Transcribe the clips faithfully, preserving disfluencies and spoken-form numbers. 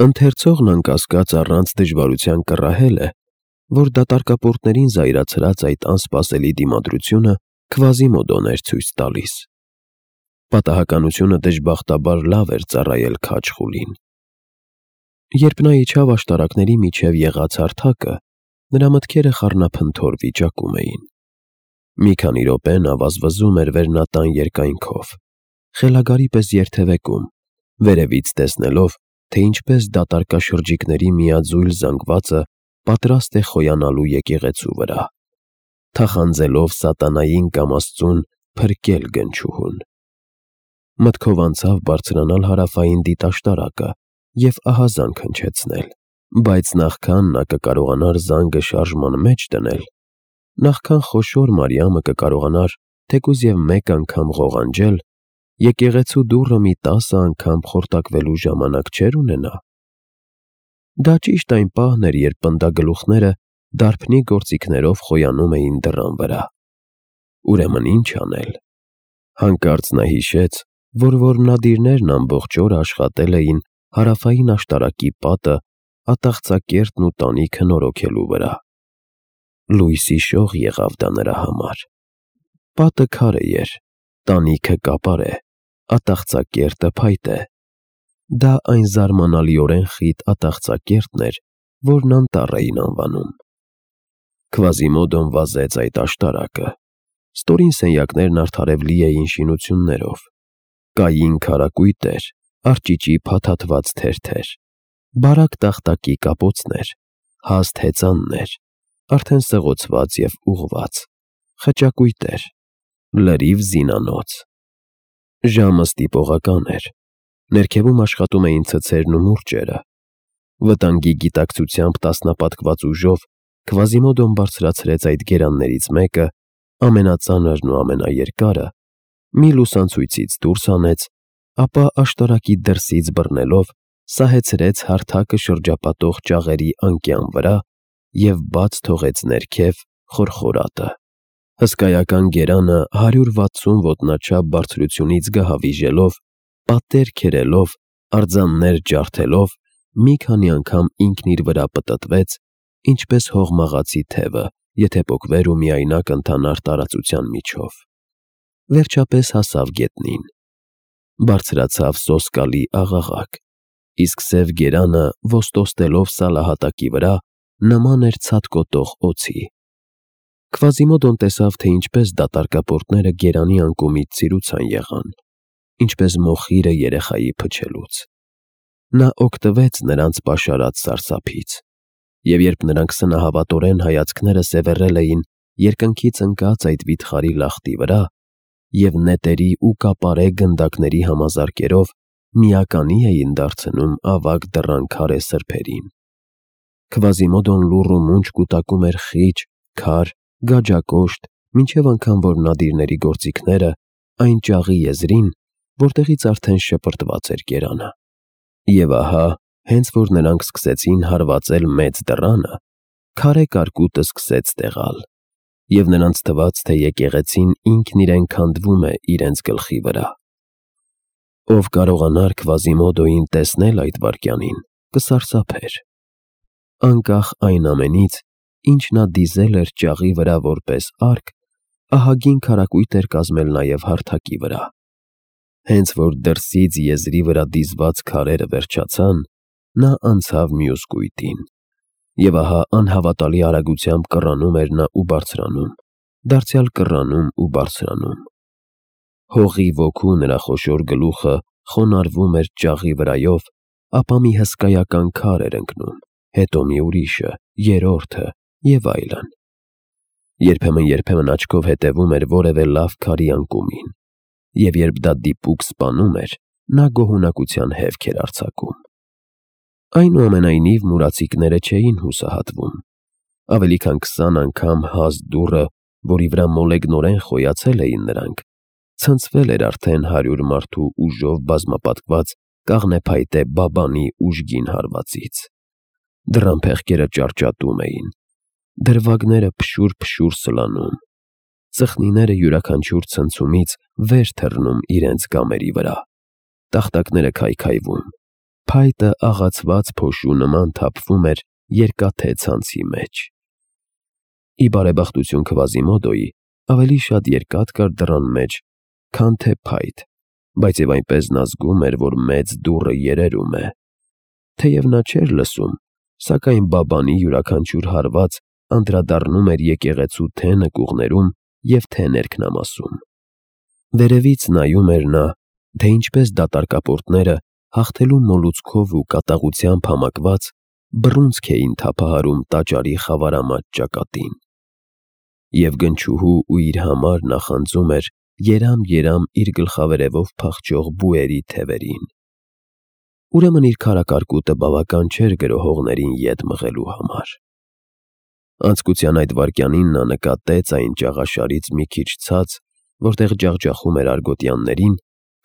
Ընթերցողն անկասկած առանց դժվարության կռահել է, որ դատարկապորտներին զայրացրած այդ անսպասելի դիմադրությունը Քվազիմոդոն էր ցույց տալիս։ Պատահականությունը դժբախտաբար լավ էր ծառայել քաջ խուլին։ Երբ նա իջավ աշտարակների միջև եղած հարթակը, նրա մտքերը խառնափնթոր վիճակում էին։ Մի քանի րոպե նա վազվզում էր վերնատան երկայնքով, խելագարի պես երթևեկում, վերևից տեսնելով, թե ինչպես դատարկաշրջիկների միաձույլ զանգվածը պատրաստ է խոյանալու եկեղեցու վրա, թախանձելով սատանային կամաստուն փրկել գնչուհուն։ Մտքով անցավ բարձրանալ հարավային դիտաշտարակը և ահազանգ հնչեցնել, բայց նախքան նա կկարողանար զանգը շարժման մեջ դնել, նախքան խոշոր Մարիամը կկարողանար թեկուզ և մեկ անգամ ղողանջել, եկեղեցու դուռը մի տասը անգամ խորտակվելու ժամանակ չէր ունենա։ Դա ճիշտ այն պահն էր, երբ պնդագլուխները դարբնի գործիքներով խոյանում էին դռան վրա։ Ուրեմն ինչ անել։ Հանկարծ նա հիշեց, որ որմնադիրներն ամբողջ օրը աշխատել էին հարավային աշտարակի պատը, ատաղծակերտն ու տանիքը նորոգելու վրա։ Լույսի շող եղավ դա նրա համար։ Պատը քարե էր, տանիքը կապարե, ատաղծակերտը փայտե։ Դա այն զարմանալիորեն խիտ ատաղծակերտն էր, որն անտառ էին անվանում։ Քվազիմոդոն վազեց այդ աշտարակը։ Ստորին սենյակներն արդարև լի էին շինություններով։ Կային քարակույտ էր, արճիճի փաթաթված թերթեր, բարակ տախտակի կապոցներ, հաստ հեծաններ, արդեն սղոցված և ուղղված, խճակույտեր, լրիվ զինանոց։ Ժամը ստիպողական էր։ Ներքևում աշխատում էին ցցերն ու մուրճերը։ Վտանգի գիտակցությամբ տասնապատկված ուժով Քվազիմոդոն բարձրացրեց այդ գերաններից մեկը, ամենածանրն ու ամենաերկարը, մի լուսանցույցից դուրս հանեց, ապա աշտարակի դրսից բռնելով սահեցրեց հարթակը շրջապատող ճաղերի անկյան վրա և բաց թողեց ներքև խորխորատը։ Հսկայական գերանը հարյուր վաթսուն ոտնաչափ բարձրությունից գահավիժելով, պատեր քերելով, արձաններ ջարդելով, մի քանի անգամ ինքն իր վրա պտտվեց, ինչպես հողմաղացի թևը, եթե պոկվեր ու միայնակ ընթանար տարածության միջով։ Վերջապես հասավ գետնին։ Բարձրացավ սոսկալի աղաղակ, իսկ սև գերանը ոստոստելով սալահատակի վրա նման էր ցատկոտող օձի։ Քվազիմոդոն տեսավ, թե ինչպես դատարկապորտները գերանի անկումից ցիրուցան եղան, ինչպես մոխիրը երեխայի փչելուց։ Նա օգտվեց նրանց պաշարած սարսափից, և երբ նրանք սնահավատորեն հայացքները սևեռել էին երկնքից ընկած այդ վիթխարի լախտի վրա և նետերի ու կապարե գնդակների համազարկերով միականի էին դարձնում ավագ դռան քարե սրբերին։ Քվազիմոդոն լուռ ու մունջ կուտակում էր խիճ, քար, գաջակոշտ, մինչև անգամ որմնադիրների գործիքները այն ճաղի եզրին, որտեղից արդեն շպրտված էր գերանը։ Եվ ահա, հենց որ նրանք սկսեցին հարվածել մեծ դռանը, քարե կարկուտը սկսեց տեղալ, և նրանց թվաց, թե եկեղեցին ինքն իրեն քանդվում է իրենց գլխի վրա։ Ով կարողանար Քվազիմոդոյին տեսնել այդ վայրկյանին, կսարսափեր։ Անկախ այն ամենից, ինչ նա դիզել էր ճաղի վրա որպես արկ, ահագին քարակույտ էր կազմել նաև հարթակի վրա։ Հենց որ դրսից եզրի վրա դիզված քարերը վերջացան, նա անցավ մյուս կույտին։ Եվ ահա անհավատալի արագությամբ կռանում էր նա ու բարձրանում, դարձյալ կռանում ու բարձրանում։ Հողի ոգու նրա խոշոր գլուխը խոնարհվում էր ճաղի վրայով, ապա մի հսկայական քար էր ընկնում, հետո մի ուրիշը, երրորդը և այլն։ Երբեմն-երբեմն աչքով հետևում էր որևէ լավ քարի անկումին, և երբ դա դիպուկ սպանում էր, նա գոհունակության հևք էր արձակում։ Այնուամենայնիվ մուրացիկները չէին հուսահատվում։ Ավելի քան քսան անգամ հաստ դուռը, որի վրա մոլեգնորեն խոյացել էին նրանք, ցնցվել էր արդեն հարյուր մարդու ուժով բազմապատկված կաղնեփայտե բաբանի ուժգին հարվածից։ Դռան փեղկերը ճարճատում էին, դրվագները փշուր-փշուր սլանում, ծխնիները յուրաքանչյուր ցնցումից վեր թռնում իրենց կամերի վրա, տախտակները քայքայվում, Փայտը աղացված փոշու նման թափվում էր երկաթե ցանցի մեջ։ Ի բարեբախտություն Քվազիմոդոյի ավելի շատ երկաթ կար դռան մեջ, քան թե փայտ, բայց և այնպես նա զգում էր, որ մեծ դուռը երերում է։ Թեև նա չէր լսում, սակայն Բաբանի յուրաքանչյուր հարված անդրադառնում էր եկեղեցու թե՛ նկուղներում և թե՛ ներքնամասում։ Վերևից նայում էր նա, թե ինչպես դատարկապորտները, հաղթելու մոլուցքով ու կատաղությամբ համակված, բռունցք էին թափահարում տաճարի խավարամատ ճակատին։ Եվ գնչուհու ու իր համար նախանձում էր երամ֊երամ իր գլխավերևով փախչող բուերի թևերին։ Ուրեմն իր քարակարկուտը բավական չէր գրոհողներին ետ մղելու համար։ Անցկության այդ վայրկյանին նա նկատեց այն ճաղաշարից մի քիչ ցած, որտեղ ջախջախում էր արգոտյաններին,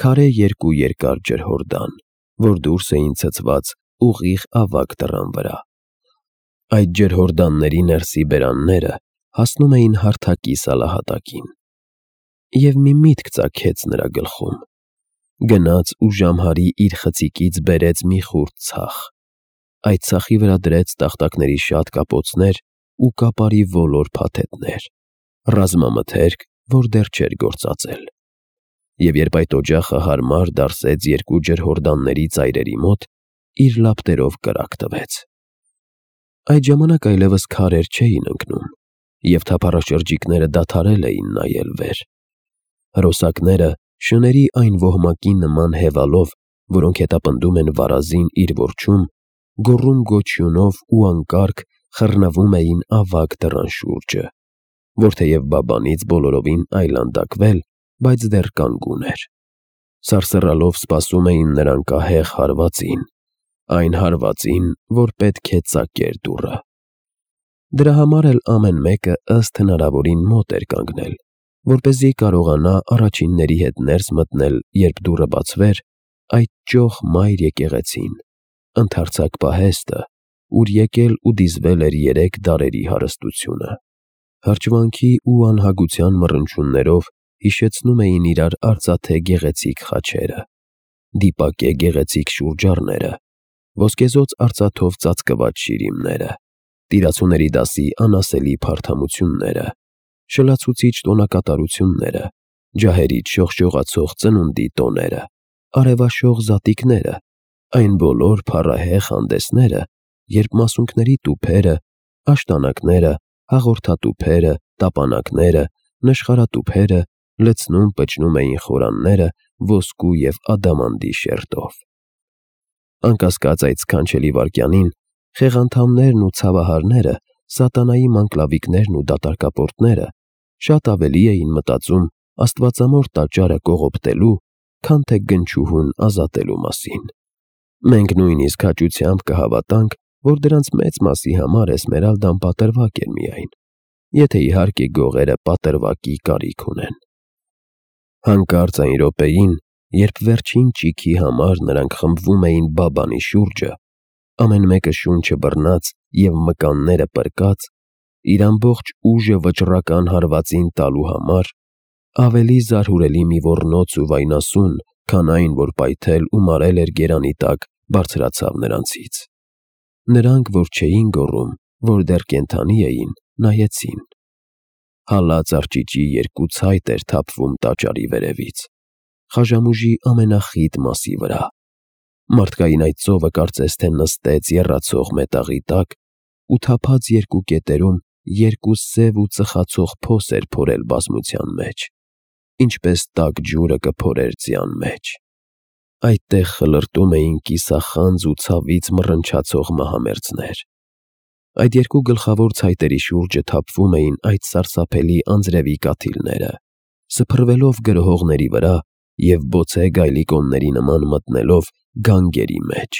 քարե երկու երկար ջրհորդան, որ դուրս էին ցցված ուղիղ ավագ դռան վրա։ Այդ ջրհորդանների ներսի բերանները հասնում էին հարթակի սալահատակին։ Եվ մի միտք ծագեց նրա գլխում։ Գնաց ու ժամհարի իր խցիկից բերեց մի խուրձ ցախ։ Այդ ցախի վրա դրեց տախտակների շատ կապոցներ ու կապարի ոլոր փաթեթներ, ռազմամթերք, որ դեռ չէր գործածել։ Եվ երբ այդ օջախը հարմար դարսեց երկու ջրհորդանների ծայրերի մոտ, իր լապտերով կրակ տվեց։ Այդ ժամանակ այլևս քարեր չէին ընկնում, և թափառաշրջիկները դադարել էին նայել վեր։ Հրոսակները, շների այն ոհմակի նման հևալով, որոնք հետապնդում են վարազին իր որջում, գոռում-գոչյունով ու անկարգ խռնվում էին ավագ դռան շուրջը, որ թեև Բաբանից բոլորովին այլանդակվել, բայց դեռ կանգուն էր։ Սարսռալով սպասում էին նրան կահեղ հարվածին, այն հարվածին, որ պետք է ծակեր դուռը։ Դրա համար էլ ամեն մեկը ըստ հնարավորին մոտ էր կանգնել, որպեսզի կարողանա առաջինների հետ ներս մտնել, երբ դուռը բացվեր, այդ ճոխ մայր եկեղեցին, ընդարձակ պահեստը, ուր եկել ու դիզվել էր երեք դարերի հարստությունը։ Հրճվանքի ու անհագության մռնչյուններով հիշեցնում էին իրար արծաթե գեղեցիկ խաչերը, դիպակե գեղեցիկ շուրջառները, ոսկեզօծ արծաթով ծածկված շիրիմները, տիրացուների դասի անասելի փարթամությունները, շլացուցիչ տոնակատարությունները, ջահերից շողշողացող ծնունդի տոները, արևաշող զատիկները, այն բոլոր փառահեղ հանդեսները, երբ մասունքների տուփերը, աշտանակները, հաղորդատուփերը, տապանակները, նշխարատուփերը լցնում-պչնում էին խորանները ոսկու և ադամանդի շերտով։ Անկասկած այդ սքանչելի վայրկյանին խեղանդամներն ու ցավահարները, սատանայի մանկլավիկներն ու դատարկապորտները շատ ավելի էին մտածում աստվածամոր տաճարը կողոպտելու, քան թե գնչուհուն ազատելու մասին։ Մենք նույնիսկ հաճությամբ կհավատանք, որ դրանց մեծ մասի համար Էսմերալդան պատրվակ էր միայն, եթե իհարկե գողերը պատրվակի կարիք ունեն։ Հանկարծ այն րոպեին, երբ վերջին ճիգի համար նրանք խմբվում էին Բաբանի շուրջը, ամեն մեկը շունչը բռնած և մկանները պրկած, իր ամբողջ ուժը վճռական հարվածին տալու համար, ավելի զարհուրելի մի ոռնոց ու վայնասուն, քան այն, որ պայթել ու մարել էր գերանի տակ, բարձրացավ նրանցից։ Նրանք, որ չէին գոռում, որ դեռ կենդանի էին, նայեցին։ Հալած արճիճի երկու ցայտ էր թափվում տաճարի վերևից, խաժամուժի ամենախիտ մասի վրա։ Մարդկային այդ ծովը կարծես թե նստեց եռացող մետաղի տակ ու թափած երկու կետերում երկու սև ու ծխացող փոս էր փորել բազմության մեջ, ինչպես տաք ջուրը կփորեր ձյան մեջ։ Այդտեղ խլրտում էին կիսախանձ ու ցավից մռնչացող մահամերձներ։ Այդ երկու գլխավոր ցայտերի շուրջը թափվում էին այդ սարսափելի անձրևի կաթիլները, սփռվելով գրոհողների վրա և բոցե գայլիկոնների նման մտնելով գանգերի մեջ։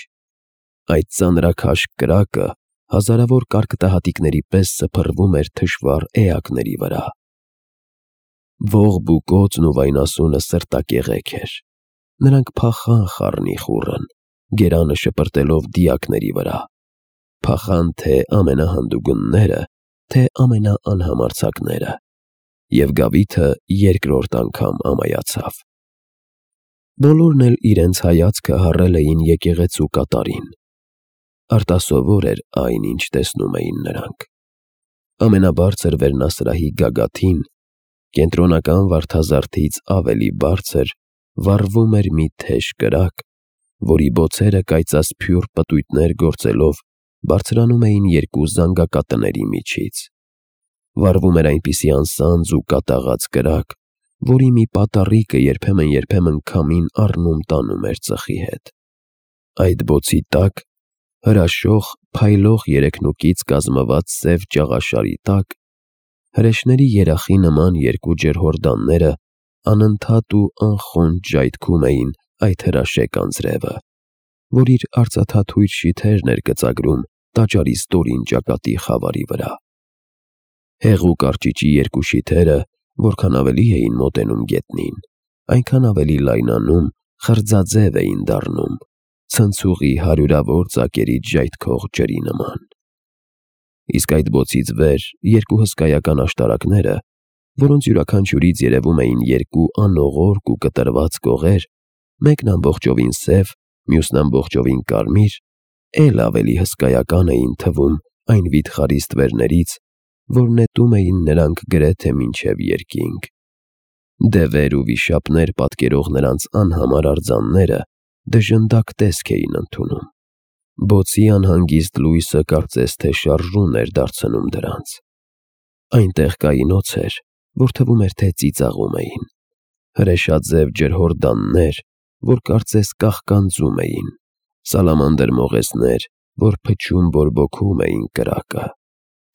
Այդ ծանրաքաշ կրակը հազարավոր կարկտահատիկների պես սփռվում էր թշվառ էակների վրա։ Ողբ ու կոծն ու վայնասունը սրտակեղեք էր։ Նրանք փախան խառնիխուռն, գերանը շպրտելով դիակների վրա, փախան թե ամենահանդուգնները, թե ամենաանհամարձակները, և գավիթը երկրորդ անգամ ամայացավ։ Բոլորն էլ իրենց հայացքը հառել էին եկեղեցու կատարին։ Արտասովոր էր այն, ինչ տեսնում էին նրանք։ Ամենաբարձր վերնասրահի գագաթին, կենտրոնական վարդազարդից ավելի բարձր, վառվում էր մի թեժ կրակ, որի բոցերը կայծասփյուռ պտույտներ գործելով բարձրանում էին երկու զանգակատների միջից։ Վառվում էր այնպիսի անսանձ ու կատաղած կրակ, որի մի պատառիկը երբեմն-երբեմն քամին առնում տանում էր ծխի հետ։ Այդ բոցի տակ, հրաշող, փայլող երեքնուկից կազմված սև ճաղաշարի տակ, հրեշների երախի նման երկու ջրհորդանները անընդհատ ու անխոնջ ժայթքում էին այդ հրաշեկ անձրևը, որ իր արծաթաթույր շիթերն էր գծագրում տաճարի ստորին ճակատի խավարի վրա։ Հեղուկ արճիճի երկու շիթերը, որքան ավելի էին մոտենում գետնին, այնքան ավելի լայնանում, խրձաձև էին դառնում, ցնցուղի հարյուրավոր ծակերից ժայթքող ջրի նման։ Իսկ այդ բոցից վեր երկու հսկայական աշտարակները, որոնց յուրաքանչյուրից երևում էին երկու անողորկ ու կտրված կողեր, մեկն ամբողջովին սև, մյուսն ամբողջովին կարմիր, էլ ավելի հսկայական էին թվում այն վիթխարի ստվերներից, որ նետում էին նրանք գրեթե մինչև երկինք։ Դևեր ու վիշապներ պատկերող նրանց անհամար արձանները դժնդակ տեսք էին ընդունում։ Բոցի անհանգիստ լույսը կարծես թե շարժուն էր դարձնում դրանց։ Այնտեղ կային օձեր, որ թվում էր, թե ծիծաղում էին, հրեշաձև ջրհորդաններ, որ կարծես կաղկանձում էին, սալամանդր մողեսներ, որ փչում բորբոքում էին կրակը,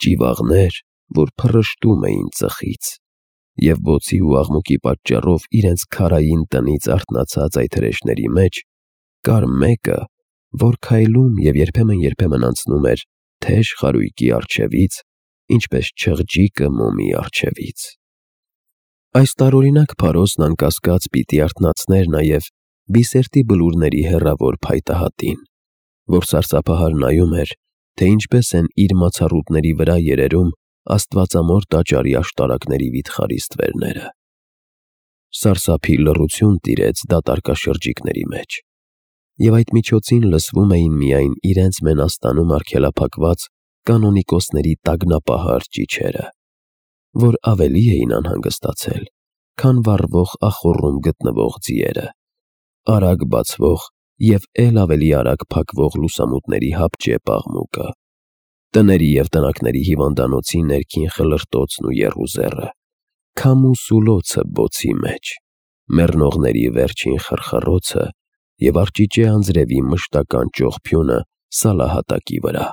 ճիվաղներ, որ փռշտում էին ծխից, և բոցի ու աղմուկի պատճառով իրենց քարային տնից արթնացած այդ հրեշների մեջ կար մեկը, որ քայլում և երբեմն-երբեմն անցնում էր թեժ խարույկի առջևից, ինչպես չղջիկը մոմի առջևից։ Այս տարօրինակ փարոսն անկասկած պիտի արթնացներ նաև Բիսերտի բլուրների հեռավոր փայտահատին, որ սարսափահար նայում էր, թե ինչպես են իր մացառուտների վրա երերում աստվածամոր տաճարի աշտարակների վիթխարի ստվերները։ Սարսափի լռություն տիրեց դատարկաշրջիկների մեջ, և այդ միջոցին լսվում էին միայն իրենց մենաստանում արգելափակված կանոնիկոսների տագնապահար ճիչերը, որ ավելի էին անհանգստացել, քան վառվող ախոռում գտնվող ձիերը, արագ բացվող և էլ ավելի արագ փակվող լուսամուտների հապճեպ աղմուկը, տների և տնակների հիվանդանոցի ներքին խլրտոցն ու եռուզեռը, քամու սուլոցը բոցի մեջ, մեռնողների վերջին խռխռոցը և արճիճե անձրևի մշտական ճողփյունը սալահատակի վրա։